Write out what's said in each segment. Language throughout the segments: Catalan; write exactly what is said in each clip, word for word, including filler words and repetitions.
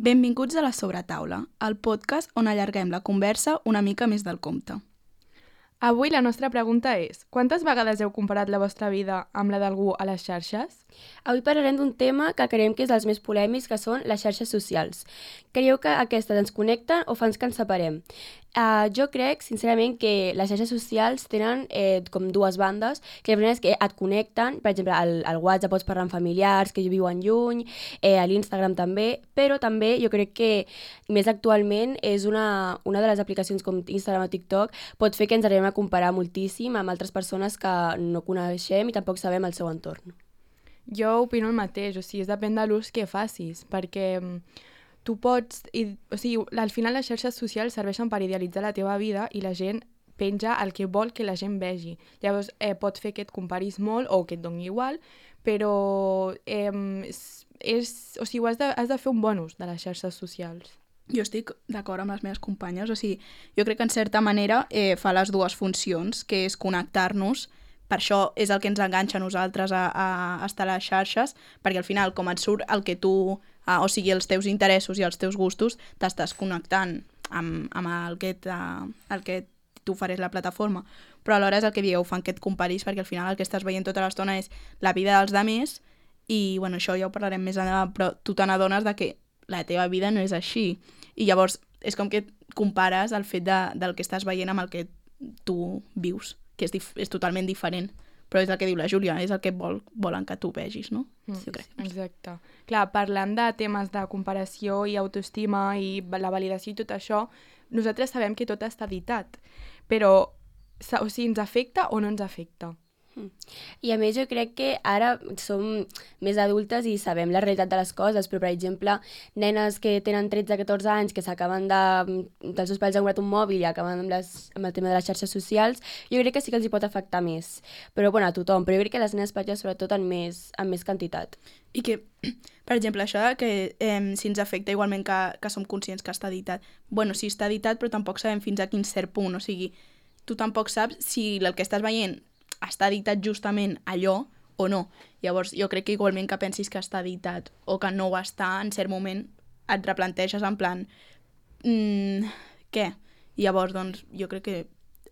Benvinguts a La Sobretaula, el podcast on allarguem la conversa una mica més del compte. Avui la nostra pregunta és: quantes vegades heu comparat la vostra vida amb la d'algú a les xarxes? Avui parlarem d'un tema que creiem que és dels més polèmics, que són les xarxes socials. Creieu que aquestes ens connecten o fan que ens separem? Uh, jo crec, sincerament, que les xarxes socials tenen eh, com dues bandes, que la primera és que et connecten, per exemple, al, al WhatsApp pots parlar amb familiars que viuen lluny, eh, a l'Instagram també, però també jo crec que més actualment és una, una de les aplicacions com Instagram o TikTok pot fer que ens arribem a comparar moltíssim amb altres persones que no coneixem i tampoc sabem el seu entorn. Jo opino el mateix, o sigui, es depèn de l'ús que facis, perquè tu pots... I, o sigui, al final les xarxes socials serveixen per idealitzar la teva vida i la gent penja el que vol que la gent vegi. Llavors, eh, pot fer que et comparis molt o que et doni igual, però eh, és, o sigui, has de, has de fer un bon ús de les xarxes socials. Jo estic d'acord amb les meves companyes, o sigui, jo crec que en certa manera eh, fa les dues funcions, que és connectar-nos. Per això és el que ens enganxa a nosaltres a, a estar a les xarxes, perquè al final, com et surt el que tu, uh, o sigui, els teus interessos i els teus gustos, t'estàs connectant amb, amb el que, el que t'ofereix la plataforma. Però alhora és el que dieu, fan que et comparis, perquè al final el que estàs veient tota l'estona és la vida dels demés, i bueno, això ja ho parlarem més endavant, però tu te n'adones de que la teva vida no és així. I llavors és com que compares el fet de, del que estàs veient amb el que tu vius, que és, dif- és totalment diferent. Però és el que diu la Júlia, és el que vol, volen que tu vegis, no? Mm, sí, crec. Exacte. Clar, parlant de temes de comparació i autoestima i la validació i tot això, nosaltres sabem que tot està editat, però o sigui, ens afecta o no ens afecta? I a més jo crec que ara som més adultes i sabem la realitat de les coses, però per exemple, nenes que tenen tretze a catorze anys que s'acaben de... dels seus pares han comprat un mòbil i acaben amb, les, amb el tema de les xarxes socials, jo crec que sí que els hi pot afectar més. Però bueno, a tothom, però jo crec que les nenes petites sobretot en més, en més quantitat. I que, per exemple, això que eh, si ens afecta igualment que, que som conscients que està editat. Bueno, sí està editat, però tampoc sabem fins a quin cert punt, o sigui, tu tampoc saps si el que estàs veient està editat justament allò o no. Llavors, jo crec que igualment que pensis que està editat o que no ho està, en cert moment et replanteges en plan mmm, què? I llavors, doncs, jo crec que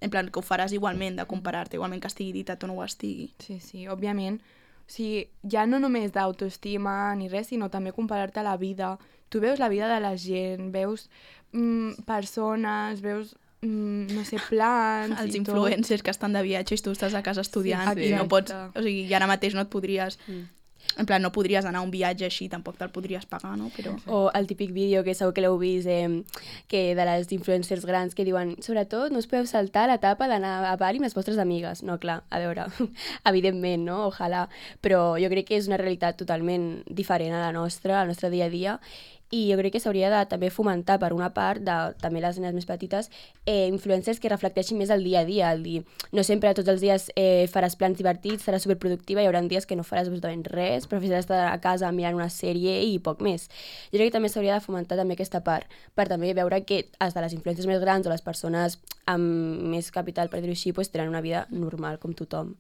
en plan que ho faràs igualment, de comparar-te, igualment que estigui editat o no ho estigui. Sí, sí, òbviament. O sigui, ja no només d'autoestima ni res, sinó també comparar-te a la vida. Tu veus la vida de la gent, veus mm, persones, veus... no sé, plans els i influencers tot. Que estan de viatge i tu estàs a casa estudiant, sí, i no pots, o sigui, i ara mateix no et podries mm. en plan, no podries anar a un viatge així, tampoc te'l podries pagar, no? Però... O el típic vídeo que segur que l'heu vist eh, que de les influencers grans que diuen, sobretot no us podeu saltar l'etapa d'anar a Bali amb les vostres amigues. No, clar, a veure, evidentment, no? Ojalà, però jo crec que és una realitat totalment diferent a la nostra, al nostre dia a dia, i jo crec que s'hauria de també fomentar per una part de també les nenes més petites eh, influencers que reflecteixin més el dia a dia, el dir, no sempre tots els dies eh, faràs plans divertits, seràs superproductiva, hi haurà dies que no faràs absolutament res, preferiràs estar a casa mirant una sèrie i poc més. Jo crec que també s'hauria de fomentar també aquesta part, per també veure que els de les influències més grans o les persones amb més capital, per dir-ho així, pues, tenen una vida normal com tothom.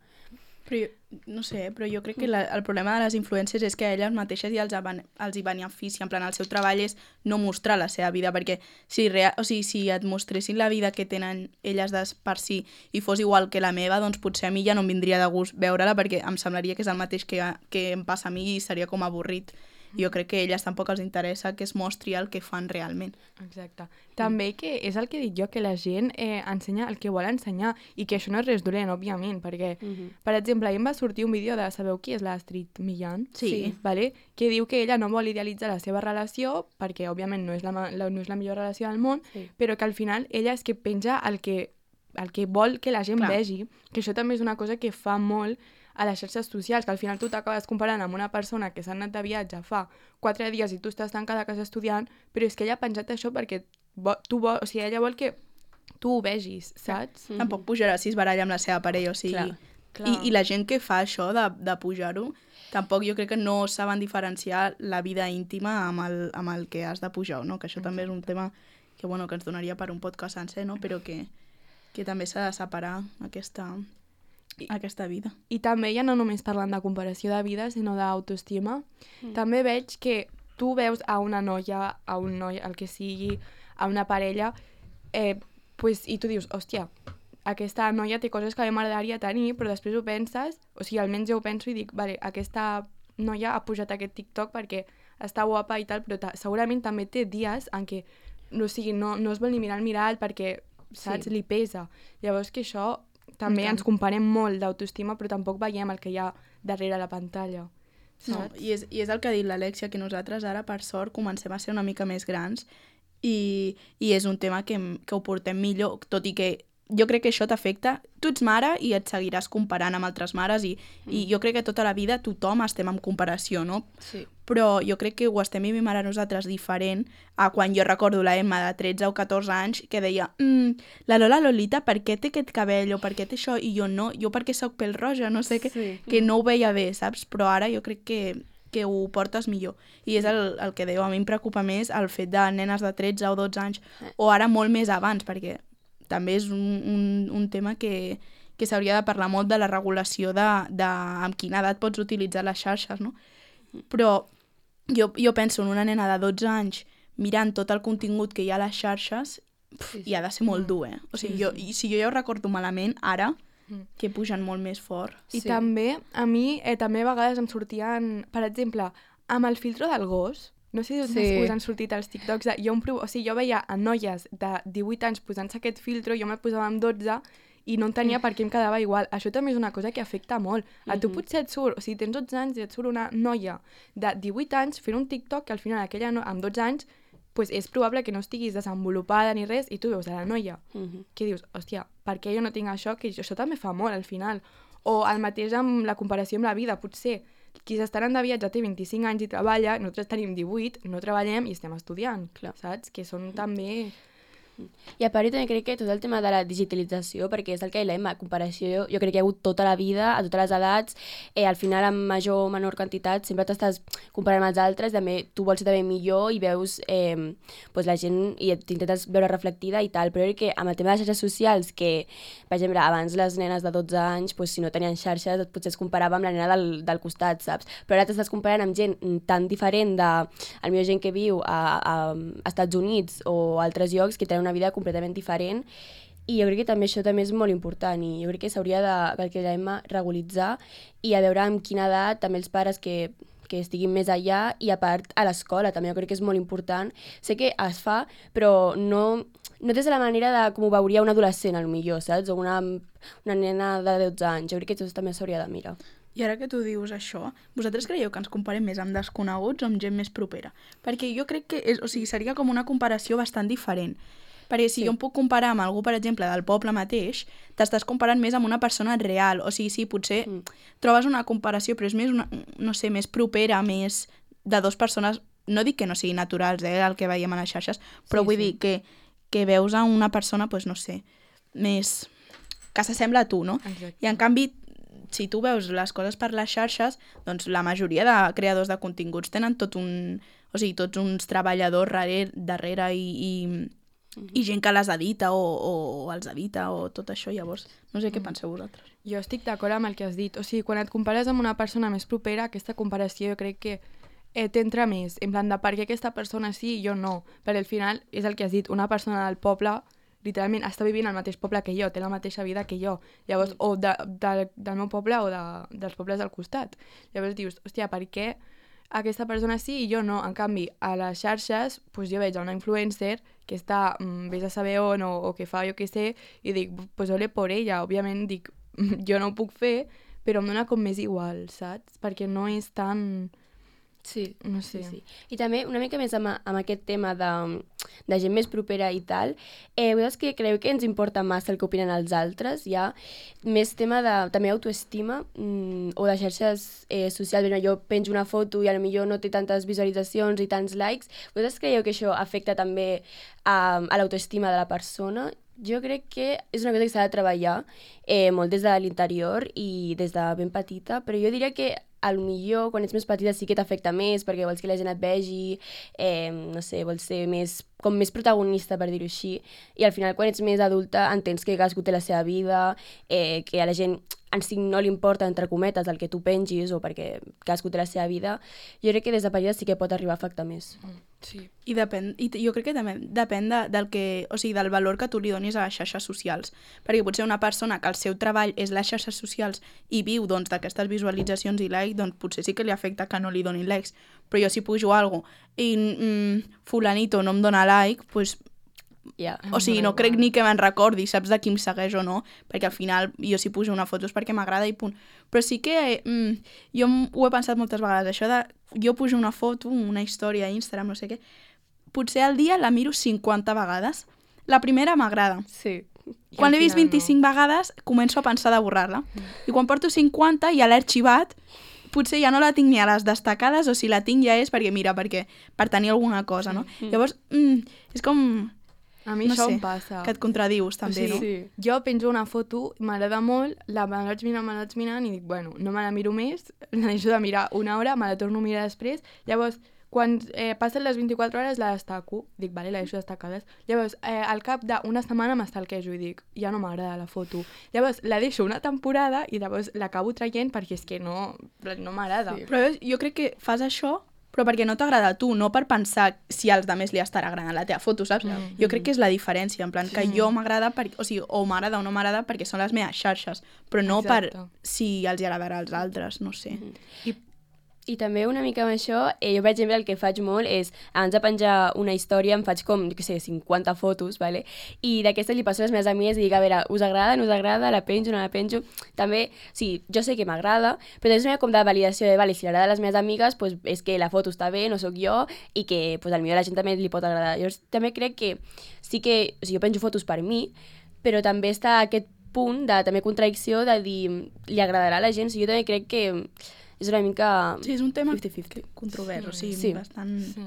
Però jo, no sé, però jo crec que la, el problema de les influències és que a elles mateixes ja els, els hi beneficia, en plan, el seu treball és no mostrar la seva vida, perquè si, real, o sigui, si et mostressin la vida que tenen elles de per si i fos igual que la meva, doncs potser a mi ja no em vindria de gust veure-la, perquè em semblaria que és el mateix que, que em passa a mi i seria com avorrit. Jo crec que a elles tampoc els interessa que es mostri el que fan realment. Exacte. També que és el que dic jo, que la gent eh, ensenya el que vol ensenyar i que això no és res dolent, òbviament, perquè, uh-huh. per exemple, ahir em va sortir un vídeo de, sabeu qui és l'Astrid Millan? Sí. sí. Vale? Que diu que ella no vol idealitzar la seva relació perquè, òbviament, no és la, la, no és la millor relació del món, sí. però que al final ella és que penja el que, el que vol que la gent Clar. Vegi, que això també és una cosa que fa molt a les xarxes socials, que al final tu t'acabes comparant amb una persona que s'ha anat de viatge fa quatre dies i tu estàs tancada a casa estudiant, però és que ella ha penjat això perquè vo- tu vol, o sigui, ella vol que tu ho vegis, saps? Mm-hmm. Tampoc pujarà si es baralla amb la seva parella, o sigui... Clar. Clar. I, I la gent que fa això de, de pujar-ho, tampoc jo crec que no saben diferenciar la vida íntima amb el, amb el que has de pujar, no? Que això Exacte. També és un tema que, bueno, que ens donaria per un podcast sencer, no? Però que, que també s'ha de separar aquesta... aquesta vida. I també ja no només parlant de comparació de vida, sinó d'autoestima, mm. també veig que tu veus a una noia, a un noi, el que sigui, a una parella, eh, pues, i tu dius, hòstia, aquesta noia té coses que a mi m'agradaria tenir, però després ho penses, o sigui, almenys jo ho penso i dic, vale, aquesta noia ha pujat aquest TikTok perquè està guapa i tal, però ta segurament també té dies en què no, o sigui, no, no es vol ni mirar al mirall perquè, saps, sí. li pesa. Llavors que això també ens comparem molt d'autoestima, però tampoc veiem el que hi ha darrere la pantalla. No, i, és, I és el que ha dit l'Alexia, que nosaltres ara, per sort, comencem a ser una mica més grans i, i és un tema que, que ho portem millor, tot i que jo crec que això t'afecta. Tu ets mare i et seguiràs comparant amb altres mares i, mm. i jo crec que tota la vida tothom estem en comparació, no? Sí. Però jo crec que ho estem vivint ara nosaltres diferent a quan jo recordo la Emma de tretze o catorze anys que deia mm, la Lola Lolita, per què té aquest cabell o per què té això? I jo no, jo perquè soc pèl roja, no sé, que, sí. que no ho veia bé, saps? Però ara jo crec que, que ho portes millor. I és el, el que dèieu, a mi em preocupa més el fet de nenes de tretze o dotze anys, o ara molt més abans, perquè també és un, un, un tema que, que s'hauria de parlar molt de la regulació de, de amb quina edat pots utilitzar les xarxes, no? Però jo, jo penso en una nena de dotze anys mirant tot el contingut que hi ha a les xarxes, pf, sí, sí. i ha de ser molt dur, eh? O sigui, sí, jo, sí. si jo ja ho recordo malament, ara, que pugen molt més fort. I sí. també, a mi, eh, també a vegades em sortien, per exemple, amb el filtro del gos. No sé si sí. us han sortit els TikToks. De, jo, prov... o sigui, jo veia a noies de divuit anys posant-se aquest filtro, jo me'l posava amb dotze i no entenia per què em quedava igual. Això també és una cosa que afecta molt. A tu potser et surt, o sigui, tens dotze anys i et surt una noia de divuit anys fent un TikTok que al final aquella no... amb dotze anys pues és probable que no estiguis desenvolupada ni res i tu veus a la noia uh-huh. que dius, hòstia, per què jo no tinc això? Que això també fa molt al final. O el mateix amb la comparació amb la vida, potser qui s'està anant de viatge té vint-i-cinc anys i treballa, nosaltres tenim divuit, no treballem i estem estudiant, clar. Saps? Que són també... I a part, també crec que tot el tema de la digitalització, perquè és el que la comparació, jo crec que hi ha hagut tota la vida, a totes les edats, eh, al final amb major o menor quantitat, sempre t'estàs comparant amb els altres, també tu vols ser també millor i veus eh, pues la gent i t'intentes veure reflectida i tal, però crec que amb el tema de les xarxes socials, que, per exemple, abans les nenes de dotze anys, pues, si no tenien xarxes, potser es comparava amb la nena del, del costat, saps? Però ara t'estàs comparant amb gent tan diferent de, al millor gent que viu a, a, a Estats Units o altres llocs que tenen una vida completament diferent i jo crec que també això també és molt important i jo crec que s'hauria de, que la Emma regularitzar i a veure amb quina edat també els pares que, que estiguin més allà i a part a l'escola també jo crec que és molt important. Sé que es fa però no, no des de la manera de com ho veuria un adolescent potser, saps? O una, una nena de dotze anys. Jo crec que això també s'hauria de mirar. I ara que tu dius això, vosaltres creieu que ens comparem més amb desconeguts o amb gent més propera? Perquè jo crec que és, o sigui, seria com una comparació bastant diferent. Perquè si sí. jo em puc comparar amb algú, per exemple, del poble mateix, t'estàs comparant més amb una persona real. O sigui, sí, potser mm. trobes una comparació, però és més, una, no sé, més propera, més de dues persones, no dic que no siguin naturals, eh, el que veiem a les xarxes, però sí, vull sí. dir que, que veus a una persona, doncs no sé, més... que s'assembla a tu, no? Exacte. I en canvi, si tu veus les coses per les xarxes, doncs la majoria de creadors de continguts tenen tot un... O sigui, tots uns treballadors darrere, darrere i... i i gent que les edita o, o els edita o tot això, llavors no sé què penseu vosaltres. Jo estic d'acord amb el que has dit, o sigui, quan et compares amb una persona més propera, aquesta comparació jo crec que eh, t'entra més, en plan de per què aquesta persona sí i jo no, perquè al final és el que has dit, una persona del poble literalment està vivint al mateix poble que jo, té la mateixa vida que jo, llavors, mm. o de, de, del meu poble o de, dels pobles del costat, llavors dius, hòstia, per què aquesta persona sí i jo no? En canvi, a les xarxes pues jo veig una influencer que està, mmm, vés a saber on o, o que fa jo què sé, i dic, pues ole por ella, òbviament dic, jo no ho puc fer, però em dona com més igual, saps? Perquè no és tan... Sí, no sé. Sí, sí. I també una mica més amb, amb aquest tema de, de gent més propera i tal, eh, vosaltres que creieu que ens importa massa el que opinen els altres? Hi ha més tema de també autoestima mm, o de xarxes eh, socials. Bé, jo penjo una foto i potser no té tantes visualitzacions i tants likes. Vosaltres creieu que això afecta també a, a l'autoestima de la persona? Jo crec que és una cosa que s'ha de treballar eh, molt des de l'interior i des de ben petita, però jo diria que a lo millor quan ets més petita sí que t'afecta més perquè vols que la gent et vegi, eh, no sé, vols ser més, com més protagonista, per dir-ho així, i al final quan ets més adulta entens que cadascú té la seva vida, eh, que a la gent en si no li importa, entre cometes, el que tu pengis o perquè cadascú té la seva vida. Jo crec que des de petita sí que pot arribar a afectar més. Sí. I, depèn, i jo crec que també depèn de, del, que, o sigui, del valor que tu li donis a les xarxes socials. Perquè potser una persona que el seu treball és les xarxes socials i viu doncs, d'aquestes visualitzacions i likes, doncs potser sí que li afecta que no li donin likes. Però jo si pujo alguna cosa i mm, fulanito no em dona like, doncs... Yeah. O sigui, no crec ni que me'n recordi, saps de qui em segueix o no, perquè al final jo si pujo una foto és perquè m'agrada i punt. Però sí que mm, jo ho he pensat moltes vegades, això de jo pujo una foto, una història a Instagram, no sé què, potser al dia la miro cinquanta vegades. La primera m'agrada. Sí. Quan l'he vist vint-i-cinc no. vegades, començo a pensar de borrar-la. Mm. I quan porto cinquanta ja l'he arxivat, potser ja no la tinc ni a les destacades, o si la tinc ja és perquè, mira, perquè per tenir alguna cosa, no? Mm. Llavors, mm, és com... A mi no això sé, em passa. que et contradius també, o sigui, no? Sí. Jo penjo una foto, m'agrada molt, la me la vaig mirant, me la vaig mirant i dic, bueno, no me la miro més, la deixo de mirar una hora, me la torno a mirar després. Llavors, quan eh, passen les vint-i-quatre hores la destaco, dic, vale, la deixo destacades. Llavors, eh, al cap d'una setmana m'estalquejo i dic, ja no m'agrada la foto. Llavors, la deixo una temporada i llavors l'acabo traient perquè és que no, no m'agrada. Sí. Però jo crec que fas això però perquè no t'agrada a tu, no per pensar si als altres li estarà agradant la teva foto, saps? Mm. Jo crec que és la diferència, en plan, sí. que jo m'agrada, per, o sigui, o m'agrada o no m'agrada perquè són les meves xarxes, però no Exacte. Per si els hi agradarà als altres, no sé. Mm. I I també una mica amb això, eh, jo per exemple el que faig molt és, abans de penjar una història em faig com, jo què sé, cinquanta fotos, vale? I d'aquestes li passo a les meves amigues i dic, a veure, us agrada, no us agrada, la penjo, no la penjo? També, sí, jo sé que m'agrada, però també és una com de validació de, vale, si agrada a les meves amigues, pues, és que la foto està bé, no sóc jo, i que pues, al millor a la gent també li pot agradar. Llavors també crec que sí que, o sigui, jo penjo fotos per mi, però també està aquest punt de també contradicció de dir, li agradarà a la gent, o sigui, jo també crec que és una mica... Sí, és un tema cinquanta cinquanta. controvers, sí, o sigui, sí. bastant... Sí.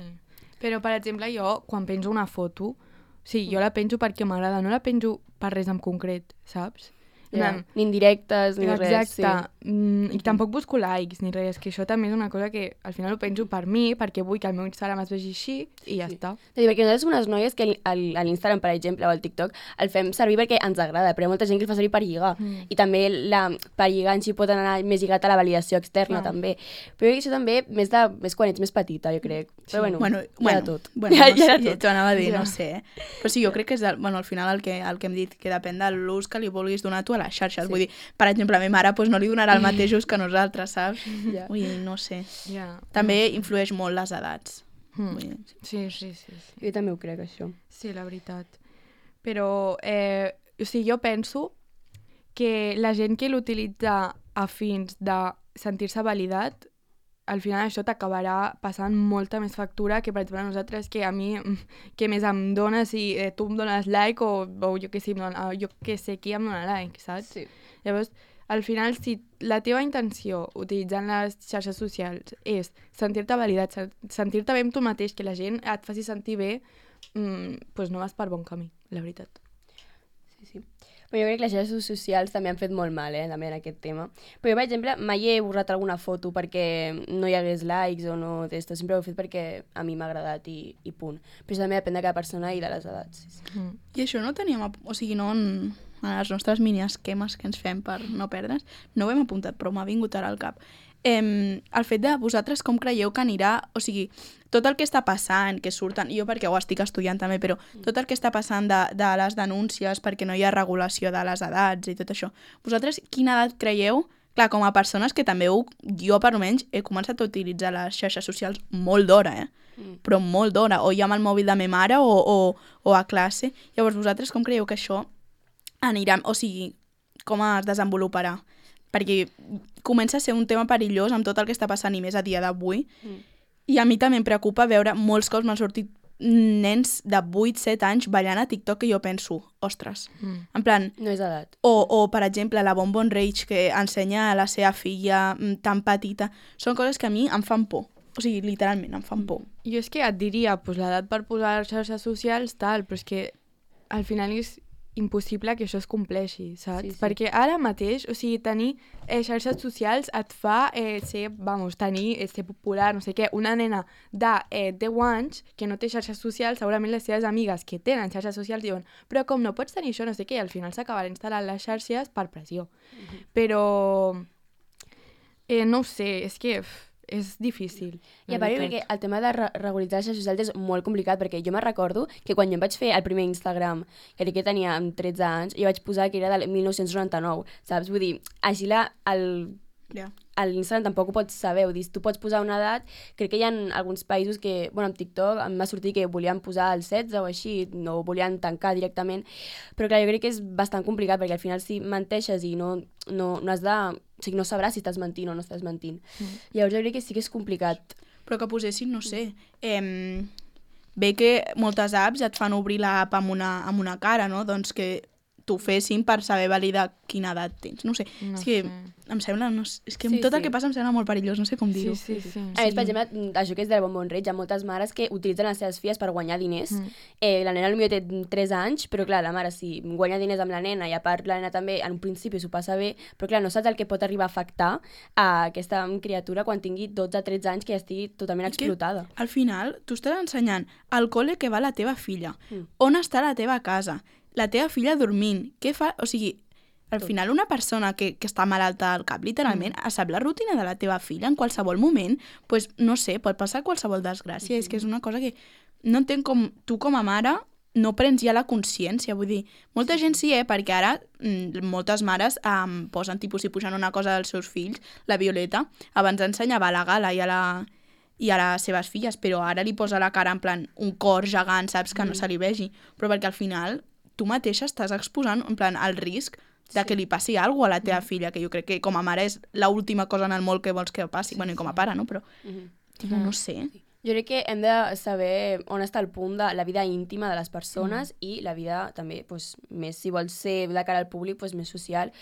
Però, per exemple, jo, quan penjo una foto, sí, jo la penjo perquè m'agrada, no la penjo per res en concret, saps? Yeah. Ni indirectes, ni Exacte. res. Exacte. Sí. Mm, I tampoc busco likes ni res, que això també és una cosa que al final ho penjo per mi, perquè vull que el meu Instagram es vegi així i ja sí. està. Sí, perquè nosaltres som unes noies que a l'Instagram, per exemple, o al TikTok, el fem servir perquè ens agrada, però hi ha molta gent que el fa servir per lligar. Mm. I també la, per lligar en si pot anar més lligat a la validació externa, no. també. Però jo crec que això també més, de, més quan ets més petita, jo crec. Sí. Però bueno, bueno, ja bueno, de tot. Bueno, ja, no sé, ja de tot. T'ho anava a dir, ja. no sé. Eh? Però sí, jo crec que és, el, bueno, al final el que, el que hem dit, que depèn de l'ús que li vulguis donar tu a les xarxes. Sí. Vull dir, per exemple, a mi mare pues, no li donarà el mateix ús que nosaltres, saps? Yeah. Vull dir, no sé. Yeah. També influeix molt les edats. Mm. Vull dir. Sí, sí, sí, sí. Jo també ho crec, això. Sí, la veritat. Però, eh, o sigui, jo penso que la gent que l'utilitza a fins de sentir-se validat, al final això t'acabarà passant molta més factura que, per exemple, a nosaltres, que a mi, que més em dona si eh, tu em dones like o, o jo que sé, dona, jo que sé qui em dona like, saps? Sí. Llavors, al final, si la teva intenció utilitzant les xarxes socials és sentir-te validat, sentir-te bé amb tu mateix, que la gent et faci sentir bé, mmm, doncs no vas per bon camí, la veritat. Sí, sí. Però jo crec que les xarxes socials també han fet molt mal, eh, també en aquest tema. Però jo, per exemple, mai he borrat alguna foto perquè no hi hagués likes o no d'esto. Sempre ho he fet perquè a mi m'ha agradat i, i punt. Però això també depèn de cada persona i de les edats. Sí, sí. Mm. I això no teníem... O sigui, no en, en els nostres mini-esquemes que ens fem per no perdre's, no ho hem apuntat, però m'ha vingut ara al cap. Eh, el fet de vosaltres com creieu que anirà... O sigui, tot el que està passant, que surten... Jo perquè ho estic estudiant també, però tot el que està passant de, de les denúncies perquè no hi ha regulació de les edats i tot això. Vosaltres quina edat creieu? Clar, com a persones que també ho, jo per almenys he començat a utilitzar les xarxes socials molt d'hora, eh? Mm. Però molt d'hora. O ja amb el mòbil de ma mare o, o, o a classe. Llavors, vosaltres com creieu que això anirà... O sigui, com es desenvoluparà? Perquè comença a ser un tema perillós amb tot el que està passant i més a dia d'avui. Mm. I a mi també em preocupa veure molts cops m'han sortit nens de vuit set anys ballant a TikTok que jo penso, ostres, mm. en plan... No és edat. O, o, per exemple, la Bonbon Rage que ensenya a la seva filla tan petita. Són coses que a mi em fan por. O sigui, literalment, em fan por. Jo és que et diria, pues, l'edat per posar les xarxes socials, tal, però és que al final és impossible que això es compleixi, saps? Sí, sí. Perquè ara mateix, o sigui, tenir eh, xarxes socials et fa eh, ser, vamos, tenir, eh, ser popular, no sé què. Una nena de eh, deu anys que no té xarxes socials, segurament les seves amigues que tenen xarxes socials diuen però com no pots tenir això, no sé què, i al final s'acabarà instal·lant les xarxes per pressió. Uh-huh. Però, eh, no ho sé, és que... Uf, és difícil. I a part, perquè el tema de re regularitzar les xarxes socials és molt complicat, perquè jo me recordo que quan jo em vaig fer el primer Instagram, crec que tenia tretze anys, jo vaig posar que era del mil nou-cents noranta-nou, saps? Vull dir, així la, el, Yeah. a l'Instagram tampoc ho pots saber, ho dir, tu pots posar una edat, crec que hi ha alguns països que, bueno, amb TikTok em va sortir que volien posar el setze o així, no volien tancar directament, però clar, jo crec que és bastant complicat, perquè al final si menteixes i no, no, no has de... O sigui, no sabràs si estàs mentint o no estàs mentint. Mm. Llavors jo crec que sí que és complicat. Però que posessin, no sé, eh, bé que moltes apps et fan obrir l'app amb una, amb una cara, no? Doncs que t'ho fessin per saber validar quina edat tens. No sé, no és que sé. em sembla... No, és que Sí, tot el sí. que passa em sembla molt perillós, no sé com dir-ho. Sí, sí, sí. A més, per exemple, això que és del bombon reig, hi ha moltes mares que utilitzen les seves filles per guanyar diners. Mm. Eh, la nena potser té tres anys, però clar, la mare si guanya diners amb la nena i a part la nena també en un principi s'ho passa bé, però clar, no saps el que pot arribar a afectar a aquesta criatura quan tingui dotze o tretze anys que ja estigui totalment I que, explotada. al final, tu estàs ensenyant al col·le que va la teva filla, Mm. on està la teva casa, la teva filla dormint, què fa... O sigui, al final una persona que, que està malalta al cap, literalment, mm. sap la rutina de la teva filla en qualsevol moment, pues, no sé, pot passar qualsevol desgràcia. Mm. És que és una cosa que no entenc com tu com a mare no prens ja la consciència, vull dir, molta gent sí, eh, perquè ara mm, moltes mares um, posen tipus si pugen una cosa dels seus fills, la Violeta, abans ensenyava a la Gala i a la i a les seves filles, però ara li posa la cara en plan un cor gegant, saps, que mm. no se li vegi, però perquè al final tu mateixa estàs exposant en plan el risc de que li passi alguna cosa a la teva mm. filla, que jo crec que com a mare és l'última cosa en el món que vols que passi, sí, bueno, i com a pare, no? Però, Mm -hmm. tipo, no sé. Jo crec que hem de saber on està el punt de la vida íntima de les persones mm. i la vida també, pues, més, si vols ser de cara al públic, pues, més social.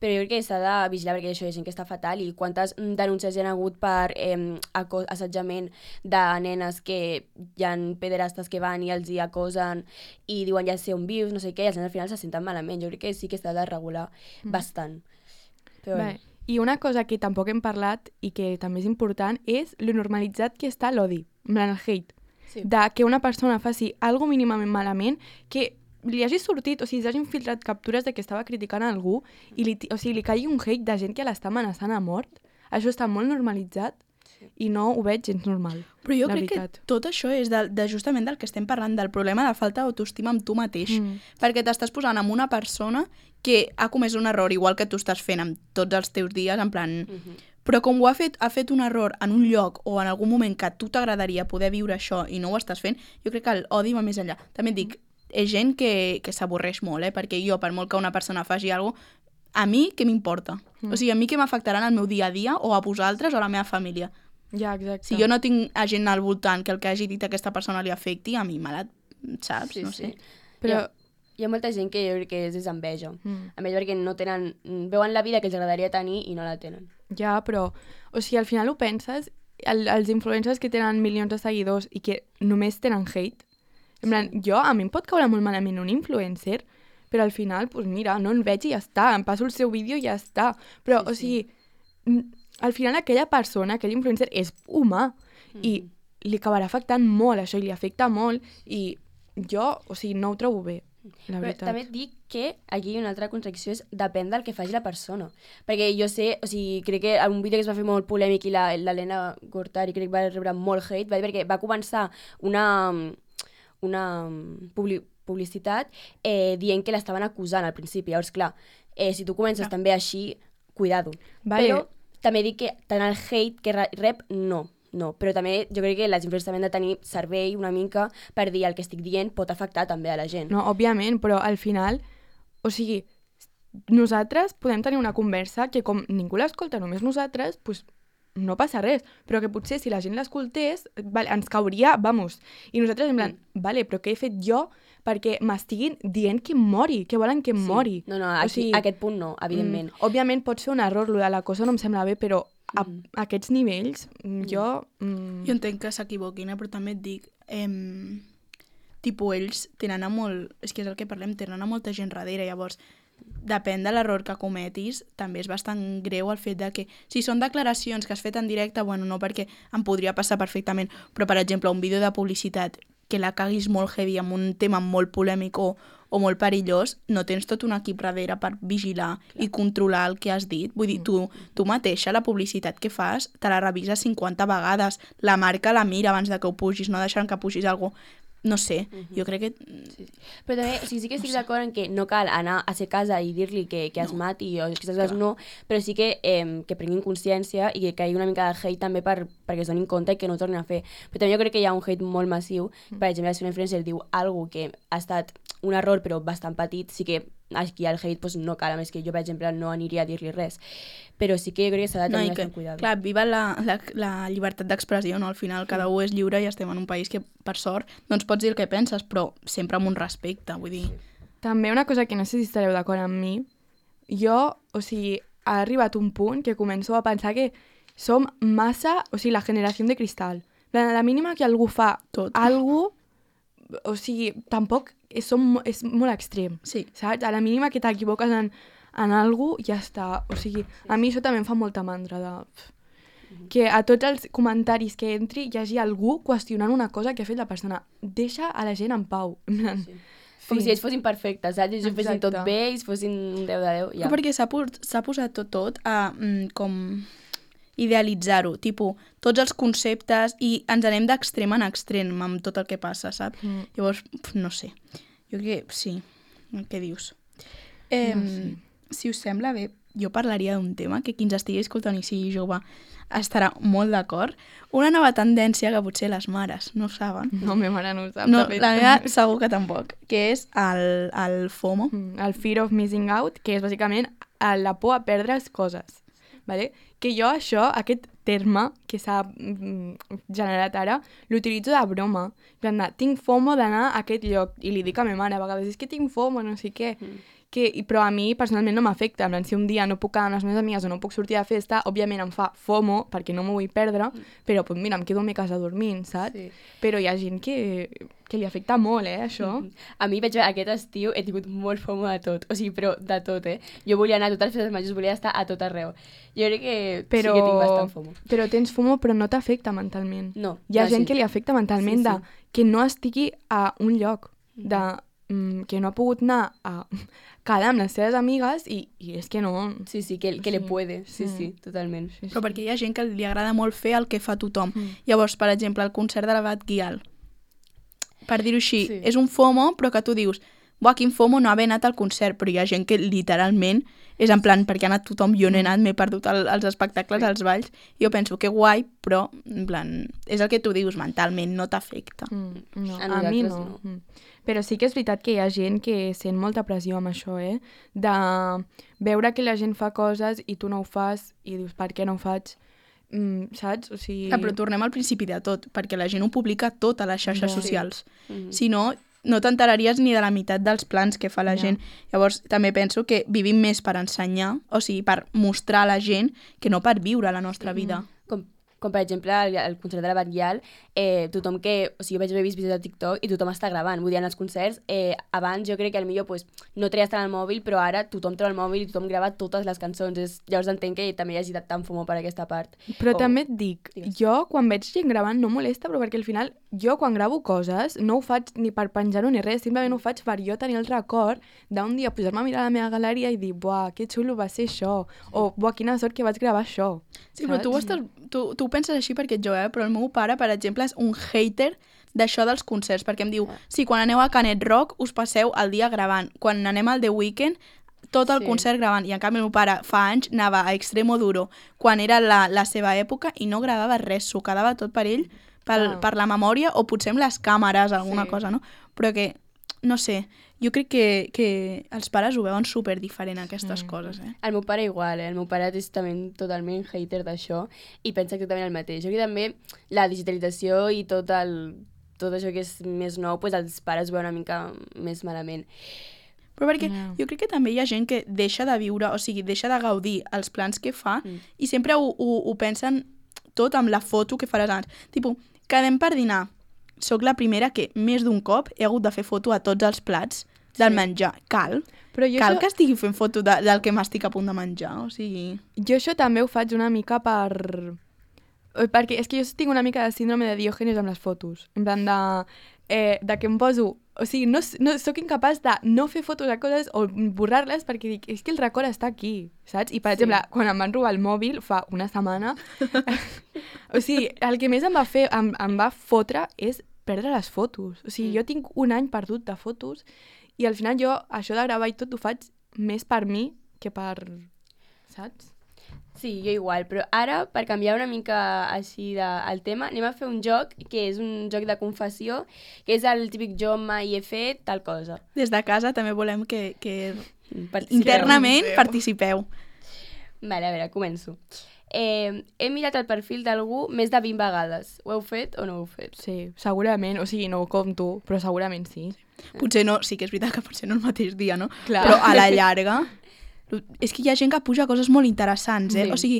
Però jo crec que s'ha de vigilar perquè això hi ha gent que està fatal i quantes denúncies hi ha hagut per eh, assetjament de nenes que hi ha pederastes que van i els hi acosen i diuen ja sé on vius, no sé què, i els nens al final se senten malament. Jo crec que sí que s'ha de regular mm. bastant. Però Bé. bueno. I una cosa que tampoc hem parlat i que també és important és lo normalitzat que està l'odi, el hate. Sí. De que una persona faci algo mínimament malament, que li hagi sortit, o sigui, s'hagin filtrat captures de que estava criticant a algú i li, o sigui, li caigui un hate de gent que l'està amenaçant a mort. Això està molt normalitzat i no ho veig gens normal. Però jo la crec veritat. que tot això és de, de justament del que estem parlant, del problema de falta d'autoestima amb tu mateix. Mm. Perquè t'estàs posant amb una persona que ha comès un error, igual que tu estàs fent amb tots els teus dies, en plan... Mm-hmm. Però com ho ha fet, ha fet un error en un lloc o en algun moment que a tu t'agradaria poder viure això i no ho estàs fent, jo crec que l'odi va més enllà. També et dic, és gent que, que s'avorreix molt, eh? Perquè jo, per molt que una persona faci alguna cosa, a mi què m'importa? Mm. O sigui, a mi què m'afectarà en el meu dia a dia o a vosaltres o a la meva família? Ja, exacte. Si jo no tinc a gent al voltant que el que hagi dit a aquesta persona li afecti, a mi me la... saps? Sí, no sí. sé. Però... Hi ha, hi ha molta gent que jo crec que és desenveja. Mm. A més perquè no tenen... veuen la vida que els agradaria tenir i no la tenen. Ja, però... O sigui, al final ho penses, el, els influencers que tenen milions de seguidors i que només tenen hate, en plan, sí. jo, a mi em pot caure molt malament un influencer, però al final, doncs mira, no en veig i ja està, em passo el seu vídeo i ja està. Però, sí, o sigui... Sí. Al final aquella persona, aquell influencer és humà mm. i li acabarà afectant molt això i li afecta molt i jo, o sigui, no ho trobo bé, la Però veritat. també et dic que aquí una altra contradicció és depèn del que faci la persona. Perquè jo sé, o sigui, crec que en un vídeo que es va fer molt polèmic i l'Helena Gortari crec que va rebre molt hate, va dir perquè va començar una, una publi publicitat eh, dient que l'estaven acusant al principi. Llavors, clar, eh, si tu comences no. també així, cuidado. Vale. Però també dic que tant el hate que rep, no. No, però també jo crec que les influencers també han de tenir servei una mica per dir el que estic dient pot afectar també a la gent. No, òbviament, però al final, o sigui, nosaltres podem tenir una conversa que com ningú l'escolta, només nosaltres, doncs no passa res, però que potser si la gent l'escoltés, vale, ens cauria, vamos, i nosaltres en plan, mm. vale, però què he fet jo perquè m'estiguin dient que em mori, que volen que em sí. mori. No, no, aquí, o sigui, aquest punt no, evidentment. Mm, òbviament pot ser un error, lo de la cosa no em sembla bé, però a, mm. a aquests nivells, mm. jo... Mm. Jo entenc que s'equivoquin, eh, però també et dic... Eh, tipus, ells tenen a molt... És que és el que parlem, tenen a molta gent darrere, llavors depèn de l'error que cometis, també és bastant greu el fet de que, si són declaracions que has fet en directe, bueno, no, perquè em podria passar perfectament, però, per exemple, un vídeo de publicitat que la caguis molt heavy amb un tema molt polèmic o, o molt perillós, no tens tot un equip darrere per vigilar Clar. I controlar el que has dit. Vull dir, tu, tu mateixa, la publicitat que fas, te la revises cinquanta vegades, la marca la mira abans de que ho pugis, no deixant que pugis alguna cosa. No sé, uh -huh. jo crec que... Sí, sí. Però també, o sigui, sí que estic no d'acord en que no cal anar a ser casa i dir-li que, que es no. mati o que aquestes coses no, però sí que, eh, que prenguin consciència i que caigui una mica de hate també per, perquè es donin compte i que no ho tornin a fer. Però també jo crec que hi ha un hate molt massiu. Per exemple, si una influencer diu alguna que ha estat un error però bastant petit, sí que aquí el hate pues, no cal, a més que jo, per exemple, no aniria a dir-li res. Però sí que jo crec que s'ha de tenir no, bastant cuidado. Clar, viva la, la, la llibertat d'expressió, no? Al final cada un és lliure i estem en un país que, per sort, doncs pots dir el que penses, però sempre amb un respecte, vull dir... També una cosa que no sé si estareu d'acord amb mi, jo, o sigui, ha arribat un punt que començo a pensar que som massa, o sigui, la generació de cristal. A la mínima que algú fa tot algú, o sigui, tampoc és, som, és molt extrem, sí. saps? A la mínima que t'equivoques en, en algú, ja està. O sigui, a mi això també em fa molta mandra de... que a tots els comentaris que entri hi hagi algú qüestionant una cosa que ha fet la persona. Deixa a la gent en pau. Sí. Com si ells fossin perfectes, saps? Ells fessin tot bé, ells fossin un deu de deu. Ja. Però perquè s'ha posat tot, tot a mm, com idealitzar-ho, tipus, tots els conceptes i ens anem d'extrem en extrem amb tot el que passa, saps? Mm. Llavors, no sé, jo crec que sí, què dius? Eh, no sé. Si us sembla bé, jo parlaria d'un tema que qui ens estigui escoltant i sigui jove estarà molt d'acord. Una nova tendència que potser les mares no saben. No, meva mare no ho sap. No, la meva segur que tampoc, que és el, el FOMO. El Fear of Missing Out, que és bàsicament la por a perdre's coses. Vale? Que jo això, aquest terme que s'ha mm, generat ara, l'utilitzo de broma. De, tinc FOMO d'anar a aquest lloc. I li dic a meva mare a vegades, és que tinc FOMO, no sé què. Mm. Que, però a mi personalment no m'afecta. Si un dia no puc quedar amb les meves amigues o no puc sortir de festa, òbviament em fa FOMO perquè no m'ho vull perdre, mm. però pues, mira, em quedo a mi casa dormint, saps? Sí. Però hi ha gent que, que li afecta molt, eh, això. Mm. A mi, veig, aquest estiu he tingut molt FOMO de tot, o sigui, però de tot, eh? Jo volia anar a totes les festes majors, volia estar a tot arreu. Jo crec que però, sí que tinc bastant FOMO. Però tens FOMO però no t'afecta mentalment. No. Hi ha no, gent sí. que li afecta mentalment sí, sí. de que no estigui a un lloc, de mm, que no ha pogut anar a quedar amb les seves amigues i, i és que no... Sí, sí, que, que sí. le puede, sí, sí, sí totalment. Sí, sí. Però perquè hi ha gent que li agrada molt fer el que fa tothom. Mm. Llavors, per exemple, el concert de la Bad Gyal, per dir-ho així, sí. és un FOMO, però que tu dius, buah, quin FOMO no haver anat al concert, però hi ha gent que literalment és en plan, perquè ha anat tothom, jo no he anat, m'he perdut el, els espectacles, sí. els balls, i jo penso que guai, però en plan, és el que tu dius, mentalment no t'afecta. Mm, no, a, a mi no. no. Mm. Però sí que és veritat que hi ha gent que sent molta pressió amb això, eh? De veure que la gent fa coses i tu no ho fas i dius, per què no ho faig? Mm, saps? O sigui... Ah, però tornem al principi de tot, perquè la gent ho publica tot a les xarxes ja, socials. Sí. Mm-hmm. Si no, no t'enteraries ni de la meitat dels plans que fa la ja. gent. Llavors, també penso que vivim més per ensenyar, o sigui, per mostrar a la gent que no per viure la nostra vida. Mm. Com, com per exemple, el, el concert de la Bad Gyal, eh, tothom que... O sigui, jo vaig haver vist vídeos de TikTok i tothom està gravant. Vull dir, en els concerts, eh, abans jo crec que potser pues, no treies tant el mòbil, però ara tothom treu el mòbil i tothom grava totes les cançons. És, llavors entenc que també hi hagi tant FOMO per aquesta part. Però oh. també et dic, Digues. jo quan veig gent gravant no molesta, però perquè al final jo quan gravo coses no ho faig ni per penjar-ho ni res, simplement ho faig per jo tenir el record d'un dia posar-me a mirar la meva galeria i dir, buah, que xulo va ser això, o buah, quina sort que vaig gravar això. Sí, saps? Però tu, estàs, tu, tu ho penses així perquè jo, eh? Però el meu pare, per exemple, és un hater d'això dels concerts, perquè em diu, sí, quan aneu a Canet Rock us passeu el dia gravant, quan anem al The Weeknd tot el sí. concert gravant, i en canvi el meu pare fa anys anava a Extremo Duro quan era la, la seva època i no gravava res, s'ho quedava tot per ell, per, oh. per la memòria o potser amb les càmeres, alguna sí. cosa, no? Però que, no sé, jo crec que, que els pares ho veuen super diferent, aquestes mm. coses, eh? El meu pare igual, eh? El meu pare és també totalment hater d'això i pensa exactament el mateix. Jo crec que també la digitalització i tot, el, tot això que és més nou, pues els pares ho veuen una mica més malament. Però perquè no. jo crec que també hi ha gent que deixa de viure, o sigui, deixa de gaudir els plans que fa mm. i sempre ho, ho, ho pensen tot amb la foto que faràs abans. Tipo, quedem per dinar. sóc la primera que més d'un cop he hagut de fer foto a tots els plats del Sí. menjar. Cal. Però jo Cal això, que estigui fent foto de, del que m'estic a punt de menjar, o sigui... jo això també ho faig una mica per... Perquè és que jo tinc una mica de síndrome de Diògenes amb les fotos. En plan de, eh, de que em poso... O sigui, no, no sóc incapaç de no fer fotos a coses o borrar-les perquè dic, és que el record està aquí, saps? I, per Sí. exemple, quan em van robar el mòbil fa una setmana, o sigui, el que més em va fer, em, em va fotre és perdre les fotos. O sigui, Mm. jo tinc un any perdut de fotos i al final jo això de gravar i tot ho faig més per mi que per... Saps? Sí, jo igual, però ara, per canviar una mica així de, el tema, anem a fer un joc que és un joc de confessió, que és el típic jo mai he fet tal cosa. Des de casa també volem que, que Participeu. internament participeu. Vale, a veure, començo. Eh, he mirat el perfil d'algú més de vint vegades. Ho heu fet o no ho heu fet? Sí, segurament. O sigui, no ho compto, però segurament sí. Potser no, sí que és veritat que potser no el mateix dia, no? Clar. Però a la llarga... És que hi ha gent que puja coses molt interessants, eh? Sí. O sigui,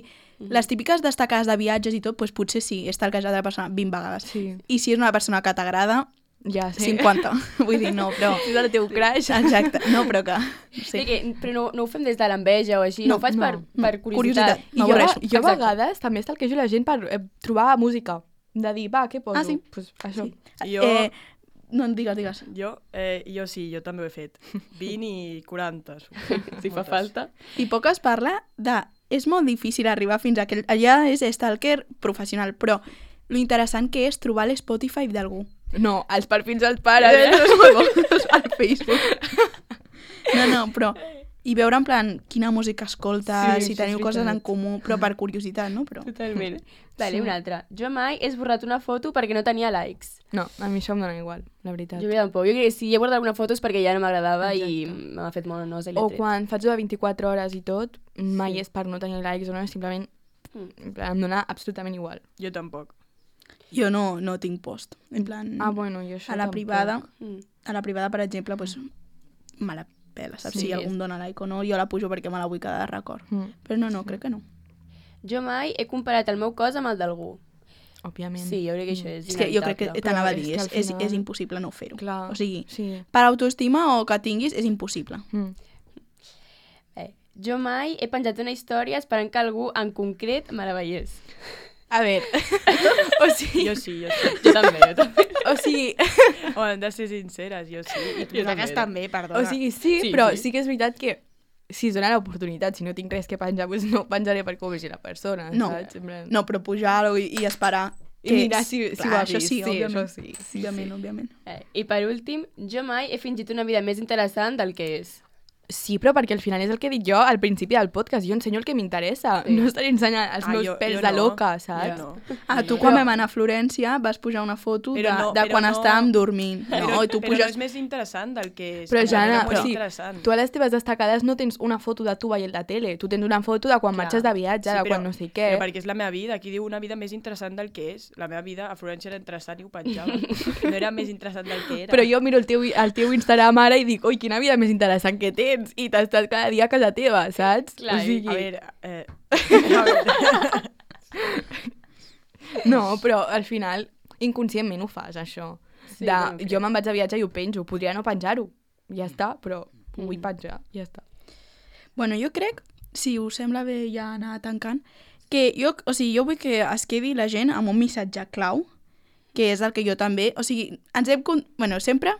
les típiques destacades de viatges i tot, doncs potser sí, és talquejar de la persona vint vegades. Sí. I si és una persona que t'agrada, Ja, sí. cinquanta. Vull dir, no, però... És el teu crush. Exacte, no, però que... Sí. Sí. Que, però no, no ho fem des de l'enveja o així, no, No, ho faig no, per, no. per curiositat. Curiositat. I jo, M'avorreixo. jo a Exacte. vegades també estalquejo la gent per eh, trobar música. De dir, va, què poso? Ah, sí? Pues això. Sí. Jo, Eh, no, digues, digues. jo, eh, jo sí, jo també ho he fet. vint i quaranta. Si fa falta. I poc es parla de... És molt difícil arribar fins a aquell... Allà és stalker professional, però lo interessant que és trobar l'Spotify d'algú. No, els perfils dels pares. Eh, Eh? no és molt bo, és al Facebook. No, no, però... I veure en plan quina música escolta, Sí, si això teniu és coses en veritat. comú, però per curiositat, no? Però... Totalment. Vale, Sí. una altra. Jo mai he esborrat una foto perquè no tenia likes. No, a mi això em dona igual, la veritat. Jo tampoc. Jo crec que si he guardat alguna foto és perquè ja no m'agradava i Exacte. m'ha fet molt nosa i O l'he tret. quan faig de vint-i-quatre hores i tot, mai Sí. és per no tenir likes o no, és simplement Mm. en plan, em dona absolutament igual. Jo tampoc. Jo no, no tinc post. En plan, Ah, bueno, jo això a la tampoc. privada, Mm. a la privada, per exemple, pues, me la pela, saps? Sí, si algú és- em dona like o no, jo la pujo perquè me la vull quedar de record. Mm, Però no, no, crec que no. Jo mai he comparat el meu cos amb el d'algú. òbviament. Sí, jo crec que això és És que jo crec que inevitable. t'anava a Però dir, és és, que al és, final- és impossible no fer-ho. Clar, O sigui, sí. per autoestima o que tinguis, és impossible. Mm. Eh, jo mai he penjat una història esperant que algú en concret me la veiés. A veure, o sigui, Jo sí, jo sí. Jo també, jo també. o sigui, Home, hem de ser sinceres, jo sí. I tu també. també, perdona. o sigui, sí, Sí, però sí. sí. que és veritat que si es dona l'oportunitat, si no tinc res que penjar, doncs no penjaré perquè ho vegi la persona, No. saps? En plan- No, però pujar-ho i, i esperar... I mirar si, si Clar, ho ha això vist. sí, òbviament. això sí. sí, òbviament, sí. òbviament. Eh, I per últim, jo mai he fingit una vida més interessant del que és. Sí, però perquè al final és el que he dit jo al principi del podcast. Jo ensenyo el que m'interessa. Sí. No estaré ensenyant els Ah, meus jo- pèls jo de no. loca, saps? Jo no. Ah, tu Jo quan no. vam anar a Florència vas pujar una foto de, Però no, de però quan no. estàvem dormint. Però, No, i tu però no puges... és més interessant del que és. Però, Home, Jana, era molt però sí, interessant. tu a les teves destacades no tens una foto de tu veient la tele. Tu tens una foto de quan Clar. marxes de viatge, Sí, de però- quan no sé què. Però perquè és la meva vida. Aquí diu una vida més interessant del que és. La meva vida a Florència era interessant i ho penjava. No era més interessant del que era. Però jo miro el teu, el teu Instagram ara i dic, oi, quina vida més interessant que tens. I t'estàs cada dia a casa teva, saps? Clar, o sigui... A veure... Eh... a veure. No, però al final inconscientment ho fas, això. Sí, de, bueno, crec. jo me'n vaig de viatge i ho penjo. Podria no penjar-ho. Ja està, però ho vull Mm. penjar. Ja està. Bueno, jo crec, si us sembla bé ja anar tancant, que jo, o sigui, jo vull que es quedi la gent amb un missatge clau, que és el que jo també... O sigui, ens hem... con- Bueno, sempre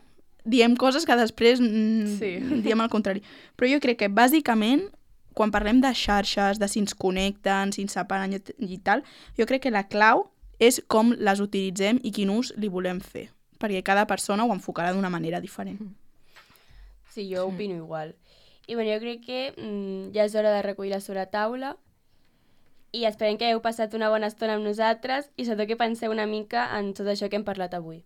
diem coses que després mm, Sí. diem el contrari. Però jo crec que, bàsicament, quan parlem de xarxes, de si ens connecten, si ens separen i, i tal, jo crec que la clau és com les utilitzem i quin ús li volem fer. Perquè cada persona ho enfocarà d'una manera diferent. Sí, jo opino igual. I bueno, jo crec que mm, ja és hora de recollir la sobretaula i esperem que hagueu passat una bona estona amb nosaltres i sobretot que penseu una mica en tot això que hem parlat avui.